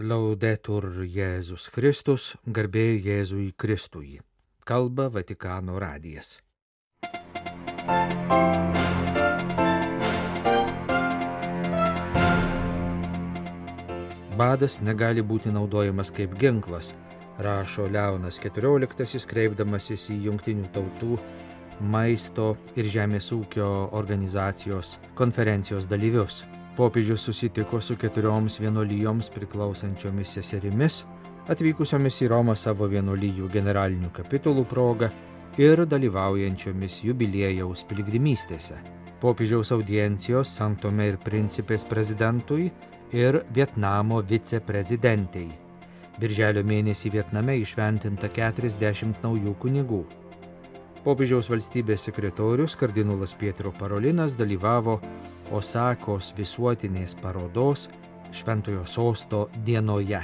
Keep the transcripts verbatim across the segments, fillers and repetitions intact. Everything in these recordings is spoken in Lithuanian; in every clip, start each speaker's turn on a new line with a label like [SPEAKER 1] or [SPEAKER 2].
[SPEAKER 1] Laudetur Jėzus Kristus, garbė Jėzui Kristui. Kalba Vatikano radijas. Badas negali būti naudojamas kaip ginklas, rašo Leonas keturioliktasis, kreipdamasis į Jungtinių tautų maisto ir žemės ūkio organizacijos konferencijos dalyvius. Popiežius susitiko su keturioms vienuolijoms priklausančiomis seserimis, atvykusiomis į Romą savo vienuolijų generalinių kapitulų proga ir dalyvaujančiomis jubiliejaus piligrimystėse. Popiežiaus audiencijos San Tomė ir Principės prezidentui ir Vietnamo viceprezidentei. Birželio mėnesį Vietname išventinta keturiasdešimt naujų kunigų. Popiežiaus valstybės sekretorius kardinolas Pietro Parolinas dalyvavo Osakos visuotinės parodos Šventojo Sosto dienoje.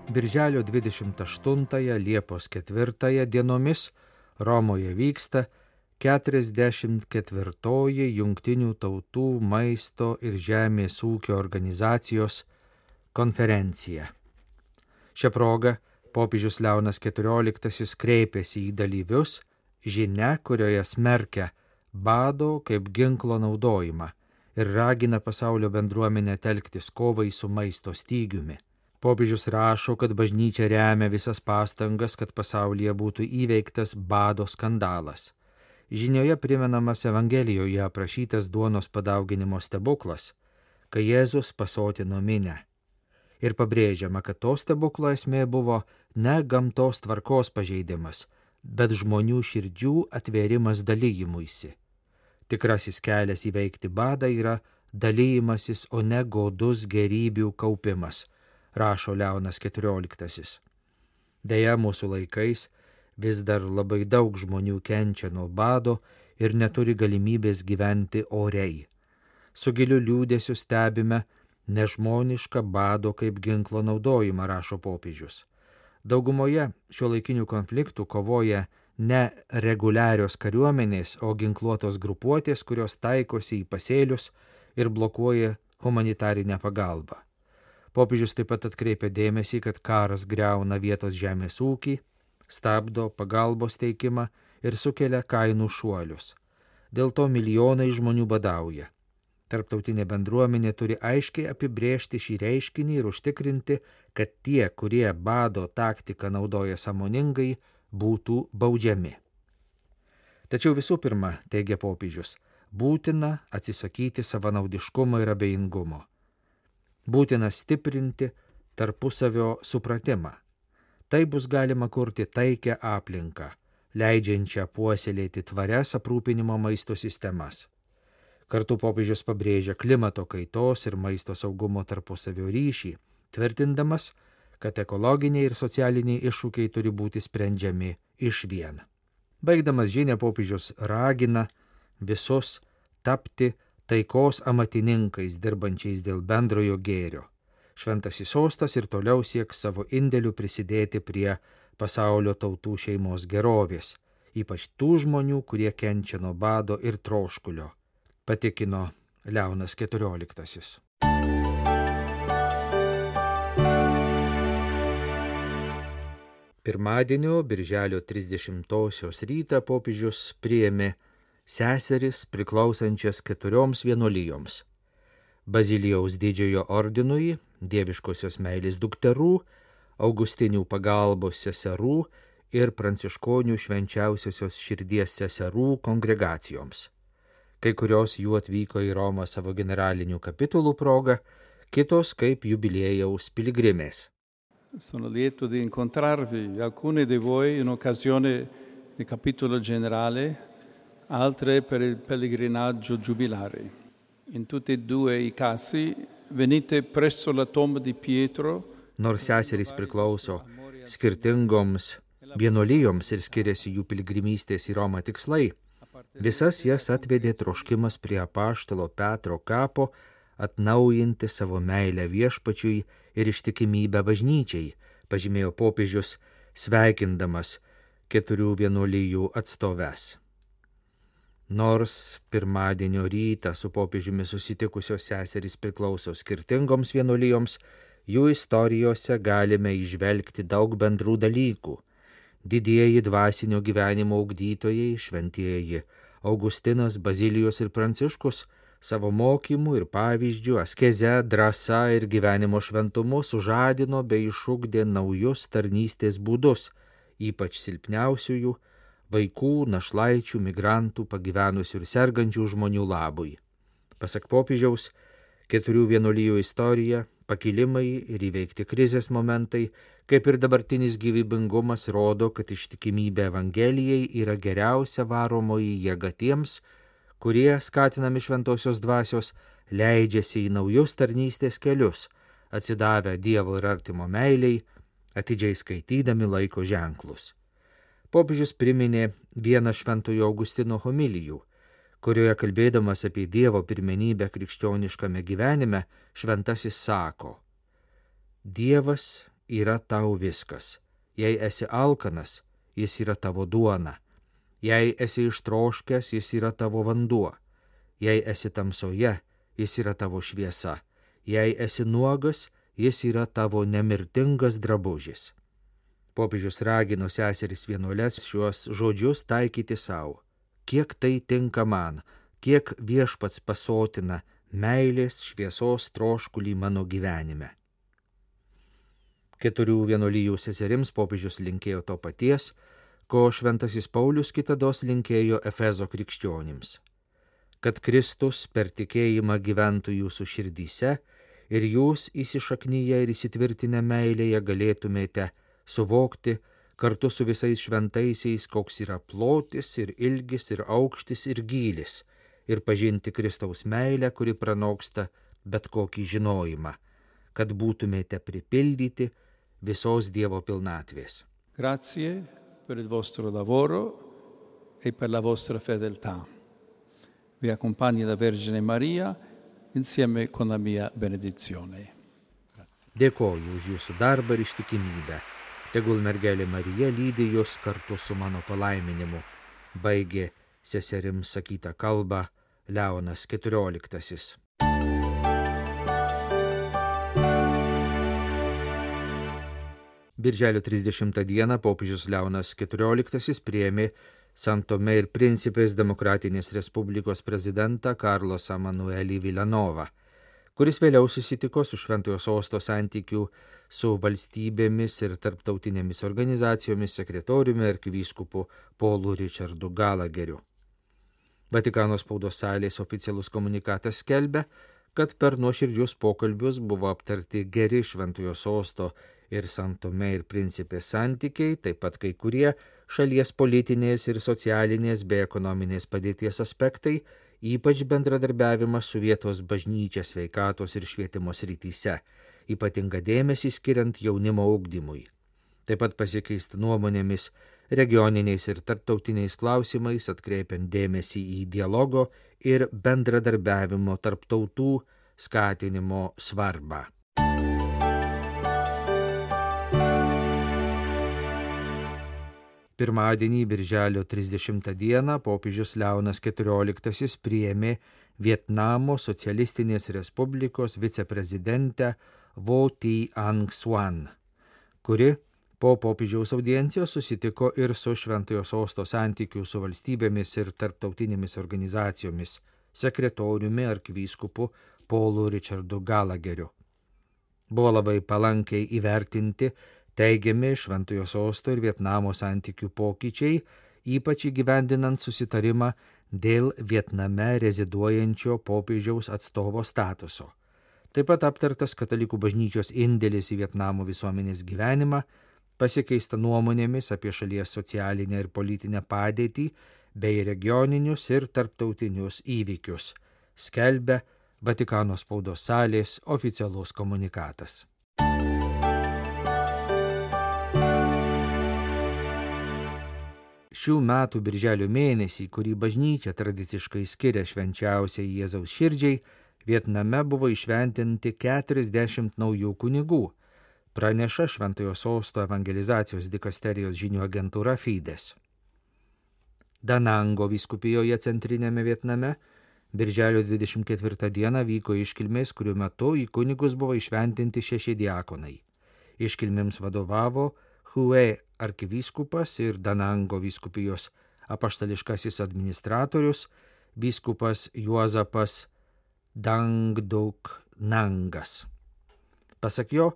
[SPEAKER 1] Birželio dvidešimt aštuntąją Liepos ketvirtąją dienomis Romoje vyksta keturiasdešimt ketvirtoji Jungtinių tautų maisto ir žemės ūkio organizacijos konferencija. Šia proga popiežius Leonas keturioliktasis kreipėsi į dalyvius žinia, kurioje smerkia bado kaip ginklo naudojimą ir ragina pasaulio bendruomenę telktis kovai su maisto stygiumi. Popiežius rašo, kad bažnyčia remia visas pastangas, kad pasaulyje būtų įveiktas bado skandalas. Žinioje primenamas Evangelijoje aprašytas duonos padauginimo stebuklas, kai Jėzus pasotino minią. Ir pabrėžiama, kad to stebuklo esmė buvo ne gamtos tvarkos pažeidimas, bet žmonių širdžių atvėrimas dalyjimuisi. Tikrasis kelias įveikti badą yra dalyjimasis, o ne godus gerybių kaupimas, rašo Leonas keturioliktasis. Deja, mūsų laikais vis dar labai daug žmonių kenčia nuo bado ir neturi galimybės gyventi oriai. Su giliu liūdėsiu stebime nežmonišką bado kaip ginklo naudojimą, rašo popiežius. Daugumoje šiuolaikinių konfliktų kovoja ne reguliarios kariuomenės, o ginkluotos grupuotės, kurios taikosi į pasėlius ir blokuoja humanitarinę pagalbą. Popiežius taip pat atkreipia dėmesį, kad karas griauna vietos žemės ūkį, stabdo pagalbos teikimą ir sukelia kainų šuolius. Dėl to milijonai žmonių badauja. Tarptautinė bendruomenė turi aiškiai apibrėžti šį reiškinį ir užtikrinti, kad tie, kurie bado taktiką naudoja sąmoningai, būtų baudžiami. Tačiau visų pirma, teigia popiežius, būtina atsisakyti savanaudiškumo ir abejingumo. Būtina stiprinti tarpusavio supratimą. Tai bus galima kurti taikią aplinką, leidžiančią puoselėti tvarias aprūpinimo maisto sistemas. Kartu popiežius pabrėžia klimato kaitos ir maisto saugumo tarpusavio ryšį, tvirtindamas, kad ekologiniai ir socialiniai iššūkiai turi būti sprendžiami išvien. Baigdamas žinią, popiežius ragina visus tapti taikos amatininkais, dirbančiais dėl bendrojo gėrio. Šventasis sostas ir toliau sieks savo indėliu prisidėti prie pasaulio tautų šeimos gerovės, ypač tų žmonių, kurie kenčia nuo bado ir troškulio, patikino Leonas keturioliktasis. Pirmadienio, birželio trisdešimtosios rytą popiežius priėmė seseris priklausančias keturioms vienuolijoms: Bazilijaus didžiojo ordinui, Dieviškosios meilės dukterų, Augustinių pagalbos seserų ir Pranciškonių švenčiausiosios širdies seserų kongregacijoms. Kai kurios jų atvyko į Romą savo generalinių kapitulų proga, kitos kaip jubiliejaus piligrimės.
[SPEAKER 2] Sono lieto di incontrarvi, alcune di voi in occasione del capitolo generale, altre per il pellegrinaggio giubilare. In tutti e due i casi venite presso la tomba di Pietro.
[SPEAKER 1] Nors seserys priklauso skirtingoms vienuolijoms ir skiriasi jų piligrimystės į Romą tikslai, visas jas atvedė troškimas prie apaštalo Petro kapo atnaujinti savo meilę viešpačiui ir ištikimybę bažnyčiai, pažymėjo popiežius, sveikindamas keturių vienuolijų atstoves. Nors pirmadienio rytą su popiežiumi susitikusios seserys priklauso skirtingoms vienuolijoms, jų istorijose galime įžvelgti daug bendrų dalykų. Didieji dvasinio gyvenimo ugdytojai, šventieji Augustinas, Bazilijus ir Pranciškus, savo mokymu ir pavyzdžiu, askeze, drąsa ir gyvenimo šventumu sužadino bei išugdė naujus tarnystės būdus, ypač silpniausiųjų, vaikų, našlaičių, migrantų, pagyvenusių ir sergančių žmonių labui. Pasak popiežiaus, keturių vienuolijų istorija, pakilimai ir įveikti krizės momentai, kaip ir dabartinis gyvybingumas, rodo, kad ištikimybė Evangelijai yra geriausia varomoji jėga tiems, kurie, skatinami šventosios dvasios, leidžiasi į naujus tarnystės kelius, atsidavę Dievo ir artimo meiliai, atidžiai skaitydami laiko ženklus. Popiežius priminė vieną šventojo Augustino homilijų, kurioje kalbėdamas apie Dievo pirmenybę krikščioniškame gyvenime, šventasis sako: Dievas yra tau viskas. Jei esi alkanas, jis yra tavo duona. Jei esi ištroškęs, jis yra tavo vanduo. Jei esi tamsoje, jis yra tavo šviesa. Jei esi nuogas, jis yra tavo nemirtingas drabužis. Popiežius ragino seseris vienuoles šiuos žodžius taikyti savo. Kiek tai tinka man, kiek viešpats pasotina meilės šviesos troškulį mano gyvenime. Keturių vienuolijų seserims popiežius linkėjo to paties, ko šventasis Paulius kitados linkėjo Efezo krikščionims. Kad Kristus per tikėjimą gyventų jūsų širdyse ir jūs įsišaknyje ir įsitvirtinę meilėje galėtumėte suvokti kartu su visais šventaisiais, koks yra plotis ir ilgis ir aukštis ir gylis, ir pažinti Kristaus meilę, kuri pranoksta bet kokį žinojimą, kad būtumėte pripildyti visos Dievo pilnatvės.
[SPEAKER 2] Grazie per il vostro lavoro e per la vostra fedeltà. Vi accompagni la Vergine Maria insieme con la mia benedizione. Grazie.
[SPEAKER 1] Dėkoju už jūsų darbą ir ištikimybę. Tegul mergelė Marija lydi jūs kartu su mano palaiminimu. Baigė seserims sakytą kalbą Leonas keturioliktasis. Birželio trisdešimtą dieną popiežius Leonas keturioliktasis priėmė San Tomé ir Principės Demokratinės Respublikos prezidentą Carlosą Manuelį Villanovą, kuris vėliau susitiko su Šventojo Sosto santykių su valstybėmis ir tarptautinėmis organizacijomis sekretoriumi arkivyskupu Paulu Richardu Galageriu. Vatikano spaudos salės oficialus komunikatas skelbia, kad per nuoširdžius pokalbius buvo aptarti geri Šventojo Sosto ir San Tomé ir Principės santykiai, taip pat kai kurie šalies politinės ir socialinės bei ekonominės padėties aspektai, ypač bendradarbiavimas su vietos bažnyčia sveikatos ir švietimo srityse, ypatinga dėmesį skiriant jaunimo ugdymui. Taip pat pasikeista nuomonėmis regioniniais ir tarptautiniais klausimais, atkreipiant dėmesį į dialogo ir bendradarbiavimo tarp tautų skatinimo svarbą. Pirmadienį, birželio trisdešimtą dieną, popiežius Leonas keturioliktasis priėmė Vietnamo socialistinės respublikos viceprezidentę Vo Thi Anh Xuan, kuri po popiežiaus audiencijos susitiko ir su Šventojo Sosto santykių su valstybėmis ir tarptautinėmis organizacijomis sekretoriumi arkivyskupu Paulu Richardu Galageriu. Buvo labai palankiai įvertinti teigiami Šventojo Sosto ir Vietnamo santykių pokyčiai, ypač įgyvendinant susitarimą dėl Vietname reziduojančio popiežiaus atstovo statuso. Taip pat aptartas katalikų bažnyčios indėlis į Vietnamo visuomenės gyvenimą, pasikeista nuomonėmis apie šalies socialinę ir politinę padėtį bei regioninius ir tarptautinius įvykius, skelbia Vatikano spaudos salės oficialus komunikatas. Šių metų birželio mėnesį, kurį bažnyčia tradiciškai skiria švenčiausiai Jėzaus širdžiai, Vietname buvo įšventinti keturiasdešimt naujų kunigų, praneša Šventojo Sosto evangelizacijos dikasterijos žinių agentūra Fides. Danango vyskupijoje Centrinėme Vietname birželio dvidešimt ketvirtą dieną vyko iškilmės, kurių metu į kunigus buvo išventinti šeši diakonai. Iškilmėms vadovavo Hue arkivyskupas ir Danango vyskupijos apaštališkasis administratorius vyskupas Juozapas Dangduk Nangas. Pasak jo,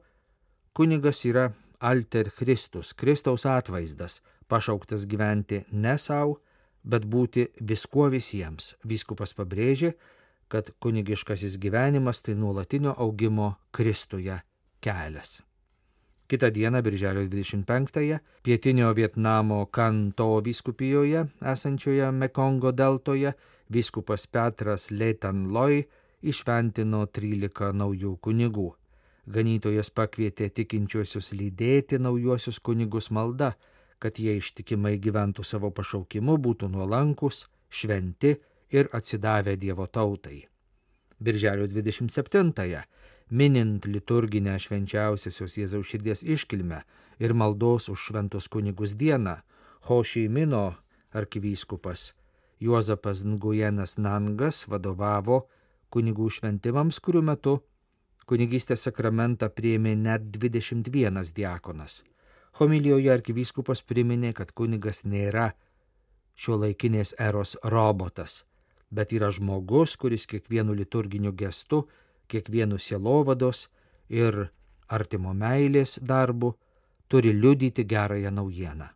[SPEAKER 1] kunigas yra alter Christus, Kristaus atvaizdas, pašauktas gyventi ne savo, bet būti viskuo visiems. Vyskupas pabrėžė, kad kunigiškasis gyvenimas tai nuolatinio augimo Kristuje kelias. Kitą dieną, birželio dvidešimt penktąją, pietinio Vietnamo Kanto vyskupijoje, esančioje Mekongo deltoje, vyskupas Petras Le Tan Loi išventino trylika naujų kunigų. Ganytojas pakvietė tikinčiuosius lydėti naujuosius kunigus malda, kad jie ištikimai gyventų savo pašaukimu, būtų nuolankus, šventi ir atsidavę Dievo tautai. Birželio dvidešimt septintąją, minint liturginę švenčiausiosios Jėzaus širdies iškilmę ir maldos už šventus kunigus dieną, Ho Chi Mino arkivyskupas Juozapas Nguyenas Nangas vadovavo kunigų šventimams, kurių metu kunigystės sakramentą priėmė net dvidešimt vienas diakonas. Homilijoje arkivyskupas priminė, kad kunigas nėra šiuolaikinės eros robotas, bet yra žmogus, kuris kiekvienu liturginiu gestu, kiekvienu sielovados ir artimo meilės darbu turi liudyti gerąją naujieną.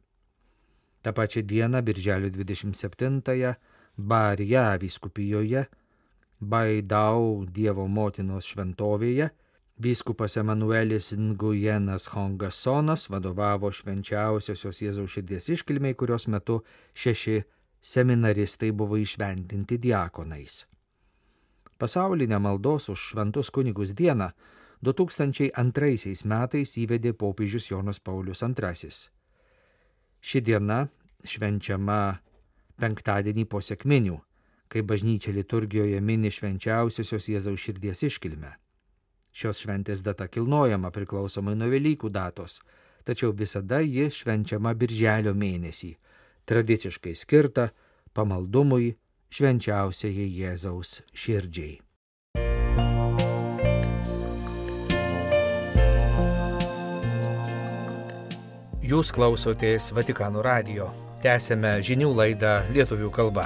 [SPEAKER 1] Ta pačia diena, birželio dvidešimt septintąją, Barja vyskupijoje, Baidau Dievo motinos šventovėje, vyskupas Emanuelis Nguyenas Hongasonas vadovavo švenčiausiosios Jėzaus širdies iškilmei, kurios metu šeši seminaristai buvo išventinti diakonais. Pasaulinę maldos už šventus kunigus dieną du tūkstančiai antraisiais metais įvedė popiežius Jonas Paulius antrasis. Ši diena švenčiama penktadienį po sekminių, kai bažnyčia liturgijoje mini švenčiausiosios Jėzaus širdies iškilmę. Šios šventės data kilnojama priklausomai nuo Velykų datos, tačiau visada ji švenčiama birželio mėnesį, tradiciškai skirta pamaldumui švenčiausiai Jėzaus širdžiai. Jūs klausotės Vatikano radijo. Tęsėme žinių laidą lietuvių kalba.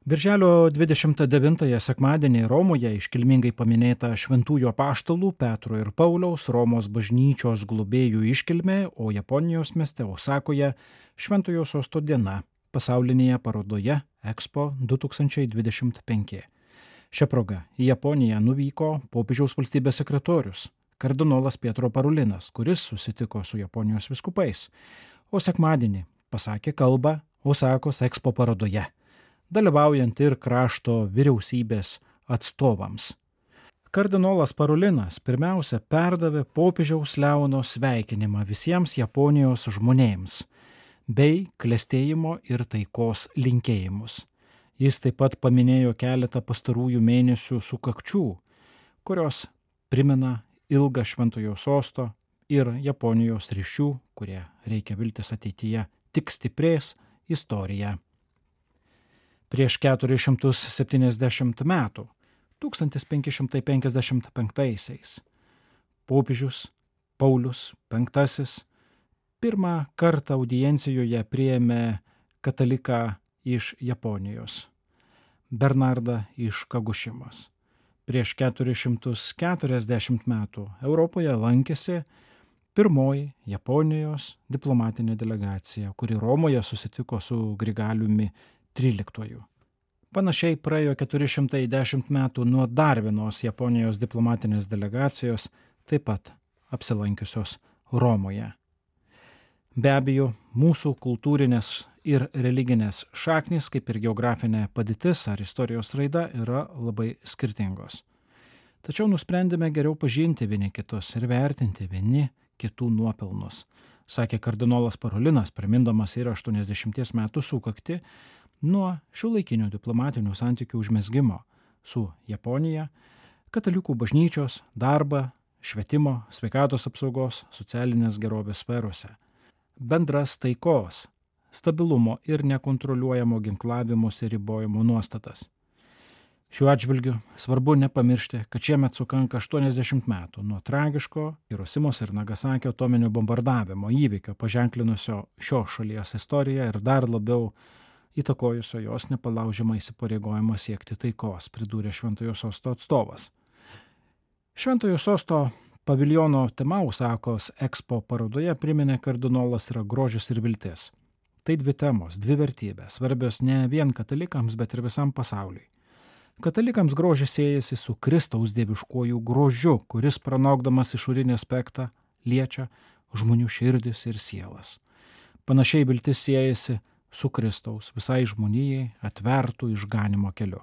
[SPEAKER 3] Birželio dvidešimt devintąją sekmadienį Romoje iškilmingai paminėta šventųjų apaštalų Petro ir Pauliaus Romos bažnyčios globėjų iškilmė, o Japonijos mieste Osakoje Šventojo Sosto diena pasaulinėje parodoje Expo du tūkstančiai dvidešimt penki. Šia proga į Japoniją nuvyko popiežiaus valstybės sekretorius kardinolas Pietro Parulinas, kuris susitiko su Japonijos vyskupais, o sekmadienį pasakė kalbą Osakos Expo parodoje, dalyvaujant ir krašto vyriausybės atstovams. Kardinolas Parulinas pirmiausia perdavė popiežiaus Leono sveikinimą visiems Japonijos žmonėms bei klestėjimo ir taikos linkėjimus. Jis taip pat paminėjo keletą pastarųjų mėnesių sukakčių, kurios primena ilgą Šventojo Sosto ir Japonijos ryšių, kurie reikia viltis ateityje tik stiprės istoriją. Prieš keturis šimtus septyniasdešimt metų, tūkstantis penki šimtai penkiasdešimt penktaisiais, popiežius Paulius penktasis pirmą kartą audiencijoje priėmė kataliką iš Japonijos, Bernardą iš Kagušimos. Prieš keturis šimtus keturiasdešimt metų Europoje lankėsi pirmoji Japonijos diplomatinė delegacija, kuri Romoje susitiko su Grigaliumi tryliktuoju. Panašiai praėjo keturi šimtai dešimt metų nuo dar vienos Japonijos diplomatinės delegacijos, taip pat apsilankiusios Romoje. Be abejo, mūsų kultūrinės ir religinės šaknys, kaip ir geografinė padėtis ar istorijos raida, yra labai skirtingos. Tačiau nusprendėme geriau pažinti vieni kitus ir vertinti vieni kitų nuopelnus, sakė kardinolas Parulinas, primindamas ir aštuoniasdešimties metų sukakti nuo šiuolaikinių diplomatinių santykių užmezgimo su Japonija, katalikų bažnyčios darbą švietimo, sveikatos apsaugos, socialinės gerovės sferose, bendras taikos, stabilumo ir nekontroliuojamo ginklavimosi ribojimo nuostatas. Šiuo atžvilgiu svarbu nepamiršti, kad šiemet sukanka aštuoniasdešimt metų nuo tragiško Hirosimos ir Nagasakio atominio bombardavimo įvykio paženklinusio šios šalies istoriją ir dar labiau įtakojusio jos nepalaužiamą įsipareigojimą siekti taikos, pridūrė Šventojo Sosto atstovas. Šventojo Sosto paviljono Temausakos Expo parodoje priminė kardinolas yra grožis ir viltis. Tai dvi temos, dvi vertybės, svarbios ne vien katalikams, bet ir visam pasauliui. Katalikams grožis siejasi su Kristaus dieviškuoju grožiu, kuris pranokdamas išorinį aspektą liečia žmonių širdis ir sielas. Panašiai viltis siejasi su Kristaus visai žmonijai atvertų išganimo keliu.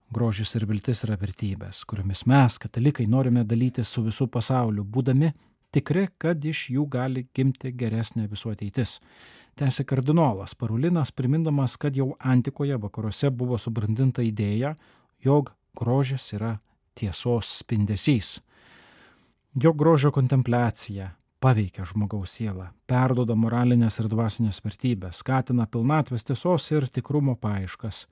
[SPEAKER 3] Grožis ir viltis yra vertybės, kuriomis mes, katalikai, norime dalytis su visų pasauliu, būdami tikri, kad iš jų gali gimti geresnė visų ateitis. Tęsė kardinolas Parolinas, primindamas, kad jau antikoje vakaruose buvo subrandinta idėja, jog grožis yra tiesos spindesys. Jo grožio kontempliacija paveikia žmogaus sielą, perduoda moralinės ir dvasinės vertybės, skatina pilnatvės tiesos ir tikrumo paieškas.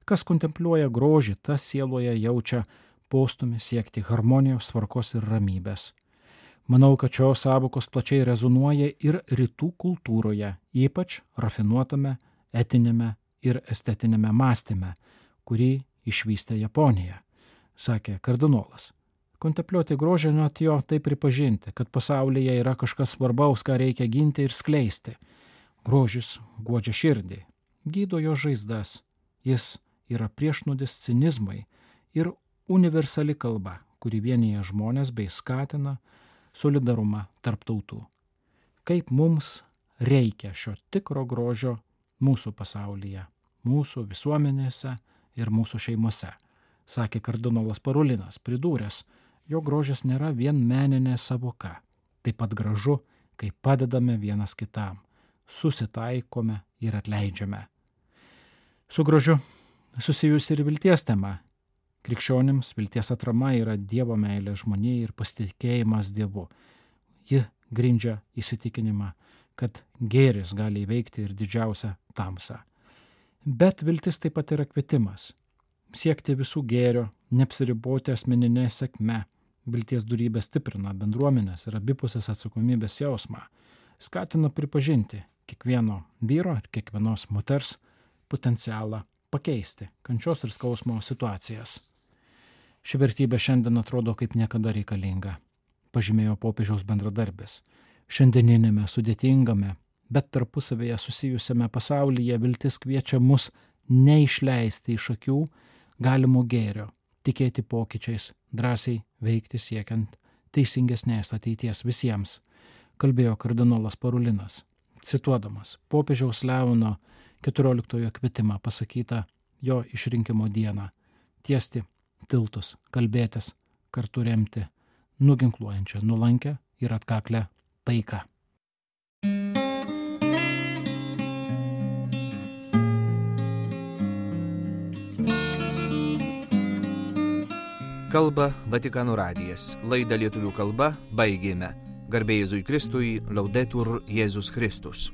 [SPEAKER 3] Kas kontempliuoja grožį, tas sieloje jaučia postumį siekti harmonijos, tvarkos ir ramybės. Manau, kad šios sąvokos plačiai rezonuoja ir rytų kultūroje, ypač rafinuotame, etinėme ir estetinėme mąstyme, kurį išvystė Japonija, sakė kardinolas. Kontempliuoti grožį, net jo tai pripažinti, kad pasaulyje yra kažkas svarbaus, ką reikia ginti ir skleisti. Grožis guodžia širdį, gydo jo žaizdas, jis yra priešnodis cinizmai ir universali kalba, kuri vienyje žmonės bei skatina solidarumą tarp tautų. Kaip mums reikia šio tikro grožio mūsų pasaulyje, mūsų visuomenėse ir mūsų šeimose, sakė kardinolas Parolinas, pridūręs, jo grožis nėra vien meninė savoka. Taip pat gražu, kai padedame vienas kitam, susitaikome ir atleidžiame. Su grožiu susijusi ir vilties tema. Krikščionims vilties atrama yra Dievo meilė žmonijai ir pasitikėjimas Dievu. Ji grindžia įsitikinimą, kad gėris gali įveikti ir didžiausią tamsą. Bet viltis taip pat yra kvietimas. Siekti visų gėrio, neapsiriboti asmeninė sėkme. Vilties dorybė stiprina bendruomenės ir abipusės atsakomybės jausmą. Skatina pripažinti kiekvieno vyro ir kiekvienos moters potencialą pakeisti kančios ir skausmo situacijas. Ši vertybė šiandien atrodo kaip niekada reikalinga, pažymėjo popiežiaus bendradarbis. Šiandieninėme sudėtingame, bet tarpusavėje susijusiame pasaulyje viltis kviečia mus neišleisti iš akių galimo gėrio, tikėti pokyčiais, drąsiai veikti siekiant teisingesnės ateities visiems, kalbėjo kardinolas Parolinas, cituodamas popiežiaus Leono keturioliktojo kvietimą pasakytą jo išrinkimo dieną – tiesti tiltus, kalbėtis, kartu remti nuginkluojančią, nuolankę ir atkaklę taiką.
[SPEAKER 1] Kalba Vatikano radijas. Laidą lietuvių kalba baigėme. Garbė Jėzui Kristui, Laudetur Jėzus Kristus.